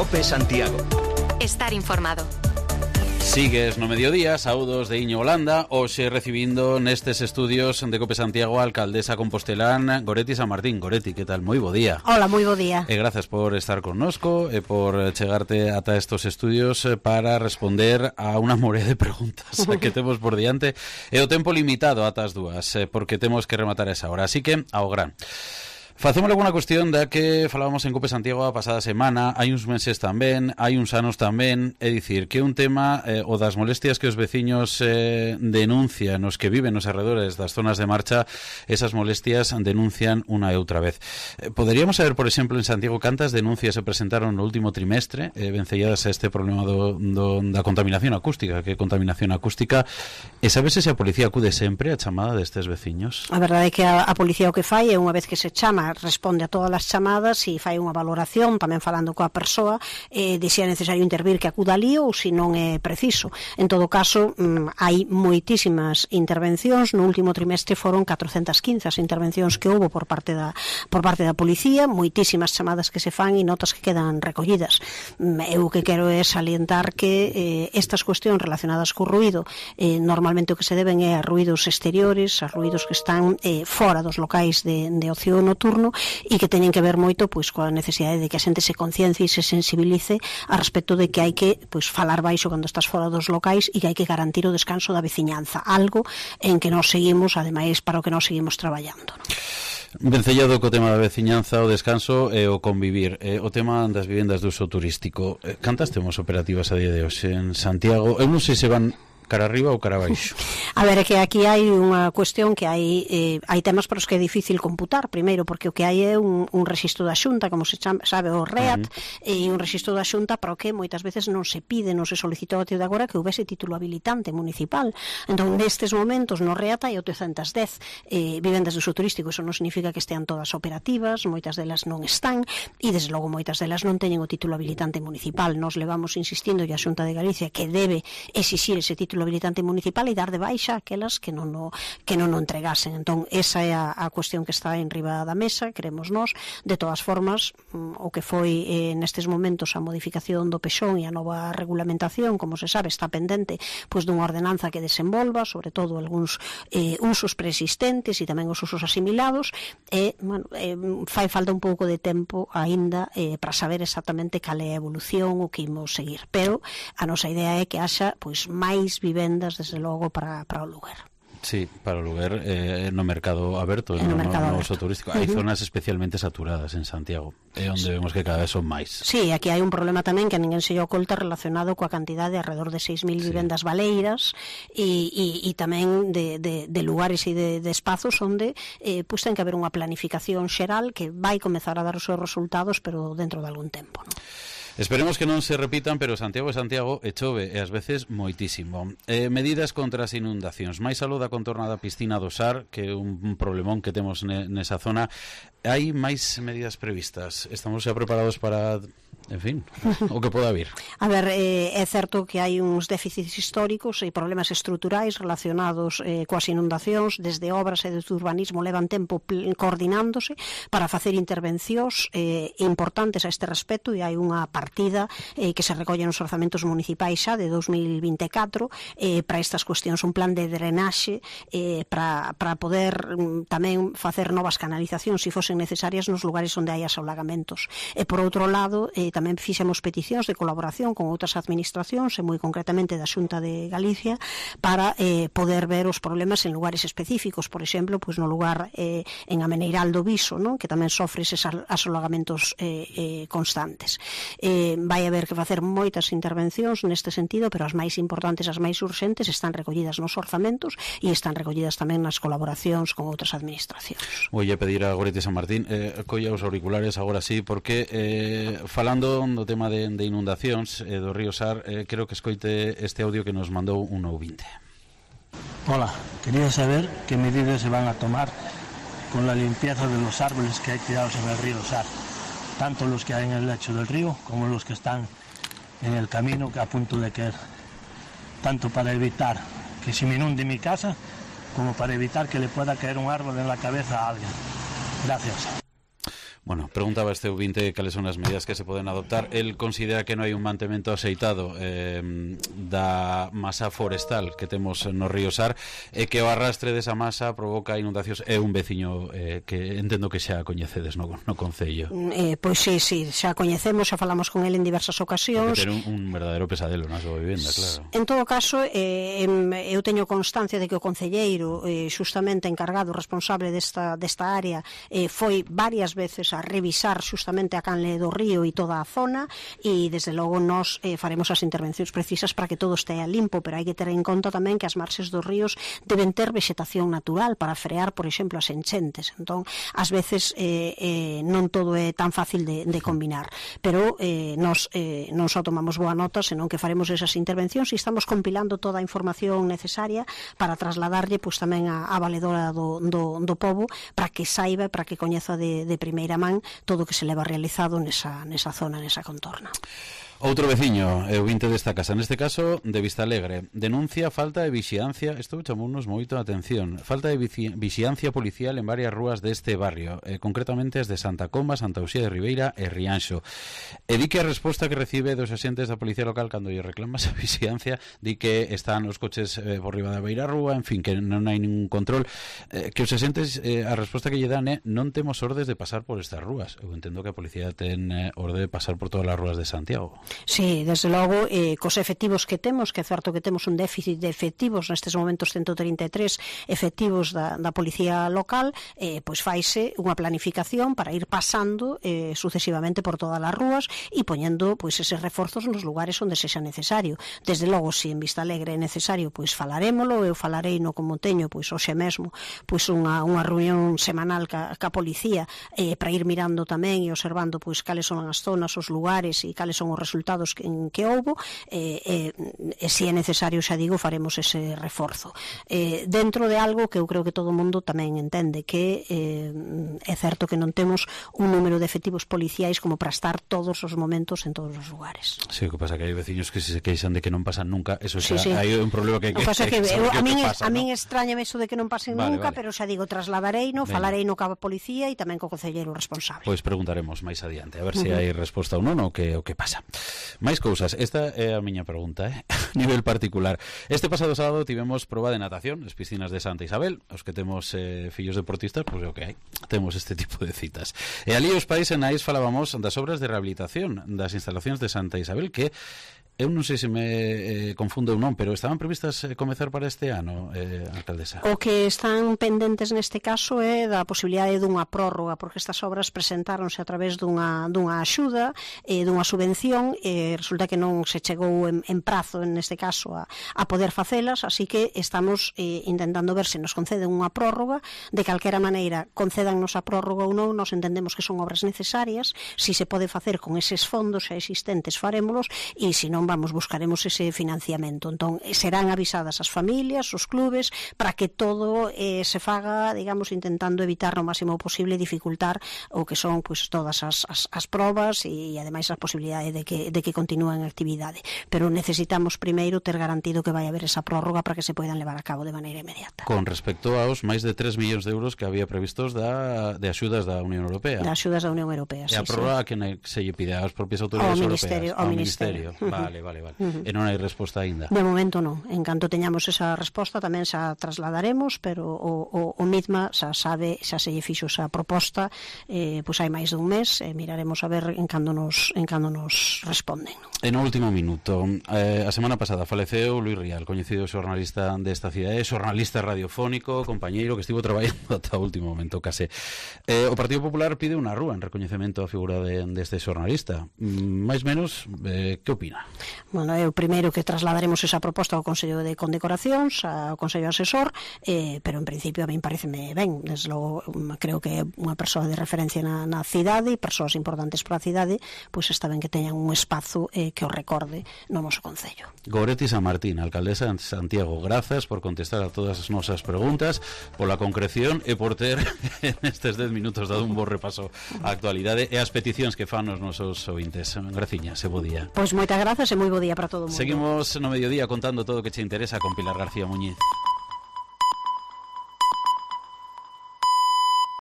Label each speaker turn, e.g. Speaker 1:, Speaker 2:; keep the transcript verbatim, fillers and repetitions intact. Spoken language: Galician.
Speaker 1: COPE Santiago.
Speaker 2: Estar informado.
Speaker 3: Sigues no mediodía, saúdos de Iño Holanda, hoxe recibindo nestes estudios de COPE Santiago a alcaldesa compostelán Goretti San Martín. Goretti, que tal? Moi bo día.
Speaker 4: Hola, moi bo día.
Speaker 3: E grazas por estar connosco e por chegarte ata estos estudios para responder a unha morea de preguntas que temos por diante. E o tempo limitado ata as dúas, porque temos que rematar a esa hora. Así que, ao gran. Facemos alguna cuestión da que falábamos en COPE Santiago a pasada semana, hai uns meses tamén, hai uns anos tamén, é dicir, que é un tema eh, o das molestias que os veciños eh, denuncian, os que viven nos arredores das zonas de marcha, esas molestias denuncian unha e outra vez. Eh, poderíamos saber, por exemplo, en Santiago, cantas denuncias se presentaron no último trimestre eh, vencelladas a este problema do, do, da contaminación acústica, que é contaminación acústica, e sabes se a policía acude sempre a chamada destes veciños?
Speaker 4: A verdade é que a, a policía o que fai é unha vez que se chama responde a todas as chamadas e fai unha valoración, tamén falando coa persoa eh, de se é necesario intervir que acuda ali ou se non é preciso. En todo caso, mm, hai moitísimas intervencións, no último trimestre foron catrocentas quince as intervencións que houbo por parte da por parte da policía, moitísimas chamadas que se fan e notas que quedan recollidas. Eu que quero é salientar que eh, estas cuestións relacionadas co ruído, eh, normalmente o que se deben é a ruídos exteriores, a ruídos que están eh, fora dos locais de, de ocio nocturno, e que teñen que ver moito pois coa necesidade de que a xente se conciencie e se sensibilice a respecto de que hai que pois falar baixo cando estás fora dos locais e que hai que garantir o descanso da veciñanza, algo en que nós seguimos, ademais, para o que nós seguimos traballando, non?
Speaker 3: Vencellado co tema da veciñanza, o descanso e o convivir, e o tema das vivendas de uso turístico. Cantas temos operativas a día de hoxe en Santiago? Eu non sei se van cara arriba ou cara abaixo.
Speaker 4: A ver, é que aquí hai unha cuestión que hai eh, hai temas para os que é difícil computar, primeiro porque o que hai é un, un rexistro da Xunta, como se chama, sabe, o REAT, uh-huh. e un rexistro da Xunta para o que moitas veces non se pide, non se solicitou a de agora que houvese título habilitante municipal. Entón, nestes momentos no REAT hai oitocentas dez eh, vivendas de uso turístico, eso non significa que estean todas operativas, moitas delas non están, e desde logo moitas delas non teñen o título habilitante municipal. Nos levamos insistindo e a Xunta de Galicia que debe exixir ese título habilitante municipal e dar de baixa aquelas que non o, que non o entregasen. Entón, esa é a, a cuestión que está en riba da mesa, queremos nós. De todas formas, o que foi eh, nestes momentos a modificación do pexón e a nova regulamentación, como se sabe, está pendente pois dunha ordenanza que desenvolva, sobre todo algúns eh, usos preexistentes e tamén os usos asimilados, e, bueno, eh, fai falta un pouco de tempo aínda eh, para saber exactamente cal é a evolución o que imos seguir. Pero a nosa idea é que haxa pois máis vivendas, desde logo, para, para o lugar.
Speaker 3: Sí, para o lugar eh, no mercado aberto, no,
Speaker 4: no, mercado
Speaker 3: no, no
Speaker 4: aberto.
Speaker 3: uso turístico. Hai uh-huh. zonas especialmente saturadas en Santiago, é onde vemos que cada vez son máis.
Speaker 4: Sí, aquí hai un problema tamén que a ninguén se lle oculta relacionado coa cantidade de alrededor de seis mil sí. vivendas baleiras e, e, e tamén de, de, de lugares e de, de espazos onde eh, pues, ten que haber unha planificación xeral que vai comezar a dar os seus resultados, pero dentro de algún tempo, non?
Speaker 3: Esperemos que non se repitan, pero Santiago é Santiago e chove, e ás veces moitísimo. Eh, medidas contra as inundacións. Máis aló da contorna da piscina do Sar, que é un problemón que temos ne, nesa zona. Hai máis medidas previstas? Estamos xa preparados para, en fin, o que poda vir?
Speaker 4: A ver, eh, é certo que hai uns déficits históricos e problemas estruturais relacionados eh, coas inundacións, desde obras e desde urbanismo levan tempo coordinándose para facer intervencións eh, importantes a este respecto, e hai unha partida eh, que se recolle nos orzamentos municipais xa de dos mil vinte e catro eh, para estas cuestións, un plan de drenaxe eh, para, para poder mm, tamén facer novas canalizacións se fosen necesarias nos lugares onde hai asolagamentos. E por outro lado, eh, tamén fixemos peticións de colaboración con outras administracións e moi concretamente da Xunta de Galicia para eh, poder ver os problemas en lugares específicos, por exemplo, pois no lugar eh, en Ameneiral do Viso, non? Que tamén sofre eses asolagamentos eh, eh, constantes. Eh, vai haber que facer moitas intervencións neste sentido, pero as máis importantes, as máis urxentes están recollidas nos orzamentos e están recollidas tamén nas colaboracións con outras administracións.
Speaker 3: Vou a pedir a Goretti San Martín eh, colla os auriculares agora sí, porque eh, falando do tema de, de inundacións eh, do río Sar, eh, creo que escoite este audio que nos mandou un ouvinte.
Speaker 5: Hola, quería saber qué medidas se van a tomar con la limpieza de los árboles que hay tirados en el río Sar, tanto los que hay en el lecho del río como los que están en el camino que a punto de caer, tanto para evitar que se me inunde mi casa como para evitar que le pueda caer un árbol en la cabeza a alguien. Gracias.
Speaker 3: Bueno, preguntaba este ouvinte cales son as medidas que se poden adoptar. El considera que non hai un mantemento aceitado eh, da masa forestal que temos no río Sar e que o arrastre desa masa provoca inundacións. É un veciño eh, que entendo que xa coñecedes no, no Concello.
Speaker 4: Eh, pois sí, sí, xa coñecemos, xa falamos con el en diversas ocasións.
Speaker 3: Porque ten un, un verdadeiro pesadelo na súa vivenda, claro.
Speaker 4: En todo caso, eh, eu teño constancia de que o concelleiro eh, xustamente encargado, responsable desta, desta área, eh, foi varias veces a revisar xustamente a canle do río e toda a zona, e desde logo nós eh, faremos as intervencións precisas para que todo estea limpo, pero hai que ter en conta tamén que as marxes dos ríos deben ter vexetación natural para frear, por exemplo, as enchentes. Entón, ás veces eh, eh, non todo é tan fácil de, de combinar, pero eh, nós eh, non só tomamos boa nota, senón que faremos esas intervencións e estamos compilando toda a información necesaria para trasladarlle pois tamén a, a valedora do, do, do pobo, para que saiba, para que coñeza de, de primeira man todo o que se leva realizado nesa, nesa zona, nesa contorna.
Speaker 3: Outro veciño, o vinte desta casa, neste caso de Vistalegre, denuncia falta de vixiancia, isto chamounos moito a atención, falta de vixiancia policial en varias rúas deste barrio, eh, concretamente as de Santa Comba, Santa Uxía de Ribeira e Rianxo. E di que a resposta que recibe dos axentes da Policía Local cando lle reclama esa vixiancia, di que están os coches eh, por riba da beira rúa, en fin, que non hai ningún control, eh, que os axentes, eh, a resposta que lle dan é non temos ordes de pasar por estas rúas. Eu entendo que a policía ten eh, orde de pasar por todas as rúas de Santiago.
Speaker 4: Sí, desde logo, eh, cos efectivos que temos, que é certo que temos un déficit de efectivos, nestes momentos ciento trinta e tres efectivos da, da Policía Local, eh, pois faise unha planificación para ir pasando eh, sucesivamente por todas as rúas e poñendo pois eses reforzos nos lugares onde sexa necesario. Desde logo, se en Vistalegre é necesario, pois falarémolo, eu falarei no como teño, pois hoxe mesmo, pois unha, unha reunión semanal ca, ca Policía eh, para ir mirando tamén e observando pois cales son as zonas, os lugares e cales son os resultados que en que houbo, e eh, eh, se é necesario, xa digo, faremos ese reforzo. Eh, dentro de algo que eu creo que todo o mundo tamén entende, que eh, é certo que non temos un número de efectivos policiais como para estar todos os momentos en todos os lugares.
Speaker 3: Sí, o que pasa que hai veciños que se queixan de que non pasan nunca, eso xa,
Speaker 4: sí, sí.
Speaker 3: hai un problema que hai que,
Speaker 4: que, que,
Speaker 3: que
Speaker 4: eu, a, min,
Speaker 3: pasa,
Speaker 4: a min
Speaker 3: ¿no?
Speaker 4: extrañame eso de que non pasen
Speaker 3: vale,
Speaker 4: nunca,
Speaker 3: vale.
Speaker 4: pero xa digo, trasladarei no, falarei no cabo policía e tamén co concelleiro responsable.
Speaker 3: Pois preguntaremos máis adiante, a ver uh -huh. se hai resposta ou non o que, o que pasa. Máis cousas, esta é a miña pregunta, eh? A nivel particular. Este pasado sábado tivemos proba de natación nas piscinas de Santa Isabel. Os que temos eh, fillos deportistas, pois pues, o que hai, temos este tipo de citas. E ali os pais en Ais falábamos das obras de rehabilitación das instalacións de Santa Isabel, que eu non sei se me eh, confundo ou non, pero estaban previstas eh, comezar para este ano, eh, alcaldesa?
Speaker 4: O que están pendentes neste caso é da posibilidade dunha prórroga, porque estas obras presentáronse a través dunha, dunha axuda, eh, dunha subvención, e resulta que non se chegou en, en prazo, neste caso, a, a poder facelas, así que estamos eh, intentando ver se nos conceden unha prórroga. De calquera maneira, concédannos a prórroga ou non, nos entendemos que son obras necesarias, si se pode facer con eses fondos xa existentes farémolos, e se non vamos, buscaremos ese financiamento. Entón, serán avisadas as familias, os clubes, para que todo eh, se faga, digamos, intentando evitar o máximo posible dificultar o que son pues, todas as, as, as probas e, e ademais a posibilidade de que, de que continúen a actividade. Pero necesitamos primeiro ter garantido que vai haber esa prórroga para que se poidan levar a cabo de maneira inmediata.
Speaker 3: Con respecto aos máis de tres millóns de euros que había previstos da, de axudas da Unión Europea.
Speaker 4: Da axudas da Unión Europea,
Speaker 3: sí. E a
Speaker 4: sí.
Speaker 3: prórroga que se lle pide ás propias autoridades
Speaker 4: ao
Speaker 3: europeas?
Speaker 4: Ministerio, ao Ministerio.
Speaker 3: Ministerio. Vale. Vale, vale, vale. Uh -huh. E non hai resposta aínda?
Speaker 4: De momento non. En canto teñamos esa resposta tamén xa trasladaremos, pero o, o, o MIDMA xa sabe, xa se lle fixo esa proposta, eh, pois hai máis dun mes, e miraremos a ver en cando nos, en cando nos responden.
Speaker 3: En o último minuto, eh, a semana pasada faleceu Luis Rial, coñecido xornalista desta cidade, xornalista radiofónico, compañeiro que estivo traballando ata o último momento, case. Eh, o Partido Popular pide unha rúa en recoñecemento á figura de, deste xornalista. Mm, máis menos, eh, que opina?
Speaker 4: Bueno, é o primeiro que trasladaremos esa proposta ao Consello de Condecoracións, ao Consello Asesor, eh, pero en principio a min pareceme ben. Desde logo, creo que é unha persoa de referencia na, na cidade e persoas importantes para a cidade, pois está ben que teñan un espazo eh, que o recorde no noso Concello.
Speaker 3: Goretti San Martín, alcaldesa de Santiago, grazas por contestar a todas as nosas preguntas, pola concreción e por ter nestes dez minutos dado un bo repaso á actualidade e as peticións que fan os nosos ouvintes. Graciñas, e bo día.
Speaker 4: Pois moitas grazas e moi bo día para todo o mundo.
Speaker 3: Seguimos no mediodía contando todo o que che interesa con Pilar García Muñiz.